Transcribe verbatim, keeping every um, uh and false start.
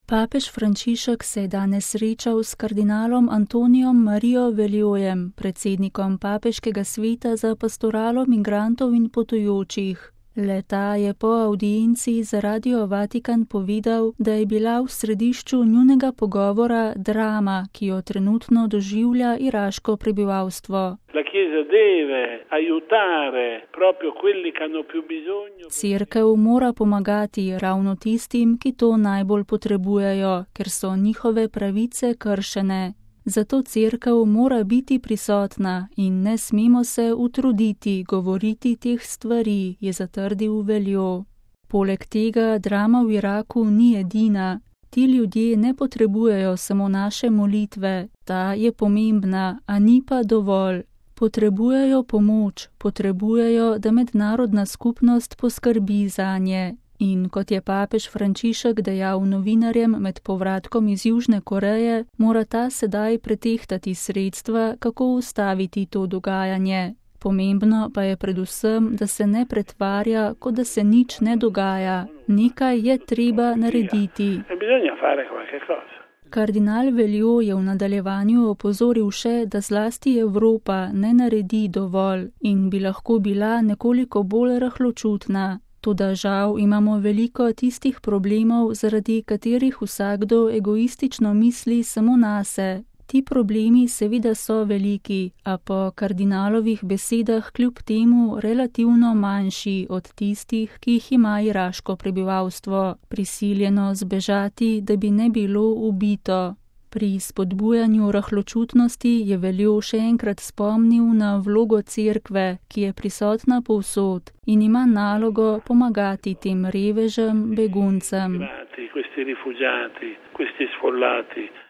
Papež Frančišek se je danes srečal s kardinalom Antonijom Marijo Veljojem, predsednikom Papeškega sveta za pastoralo migrantov in potujočih. Le-ta je po avdienci za Radio Vatikan povedal, da je bila v središču njunega pogovora drama, ki jo trenutno doživlja iraško prebivalstvo. Cerkev mora pomagati ravno tistim, ki to najbolj potrebujejo, ker so njihove pravice kršene. Zato cerkev mora biti prisotna in ne smemo se utruditi govoriti teh stvari, je zatrdil Veljo. Poleg tega drama v Iraku ni edina. Ti ljudje ne potrebujejo samo naše molitve, ta je pomembna, a ni pa dovolj. Potrebujejo pomoč, potrebujejo, da mednarodna skupnost poskrbi zanje. In kot je papež Frančišek dejal novinarjem med povratkom iz Južne Koreje, mora ta sedaj pretehtati sredstva, kako ustaviti to dogajanje. Pomembno pa je predvsem, da se ne pretvarja, kot da se nič ne dogaja. Nekaj je treba narediti. Kardinal Veljo je v nadaljevanju opozoril še, da zlasti Evropa ne naredi dovolj in bi lahko bila nekoliko bolj rahločutna. Toda žal imamo veliko tistih problemov, zaradi katerih vsakdo egoistično misli samo nase. Ti problemi seveda so veliki, a po kardinalovih besedah kljub temu relativno manjši od tistih, ki jih ima iraško prebivalstvo, prisiljeno zbežati, da bi ne bilo ubito. Pri spodbujanju rahločutnosti je Veljo še enkrat spomnil na vlogo cerkve, ki je prisotna povsod in ima nalogo pomagati tem revežem, beguncem. Questi rifugiati, questi sfollati.